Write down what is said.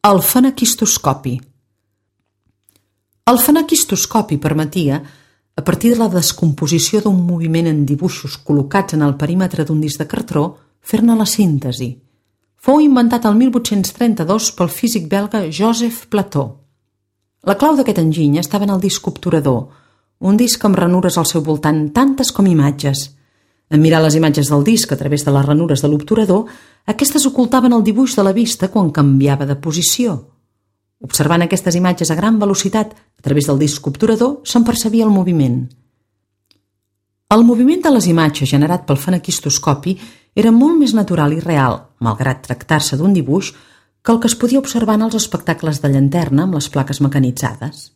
El fenequistoscopi. El fenequistoscopi permetia, a partir de la descomposició d'un moviment en dibuixos col·locats en el perímetre d'un disc de cartró, fer-ne la síntesi. Fou inventat el 1832 pel físic belga Joseph Plateau. La clau d'aquest enginy estava en el disc obturador, un disc amb ranures al seu voltant, tantes com imatges. En mirar les imatges del disc a través de les ranures de l'obturador, aquestes ocultaven el dibuix de la vista quan canviava de posició. Observant aquestes imatges a gran velocitat a través del disc obturador, se'n percebia el moviment. El moviment de les imatges generat pel fenequistoscopi era molt més natural i real, malgrat tractar-se d'un dibuix, que el que es podia observar en els espectacles de llanterna amb les plaques mecanitzades.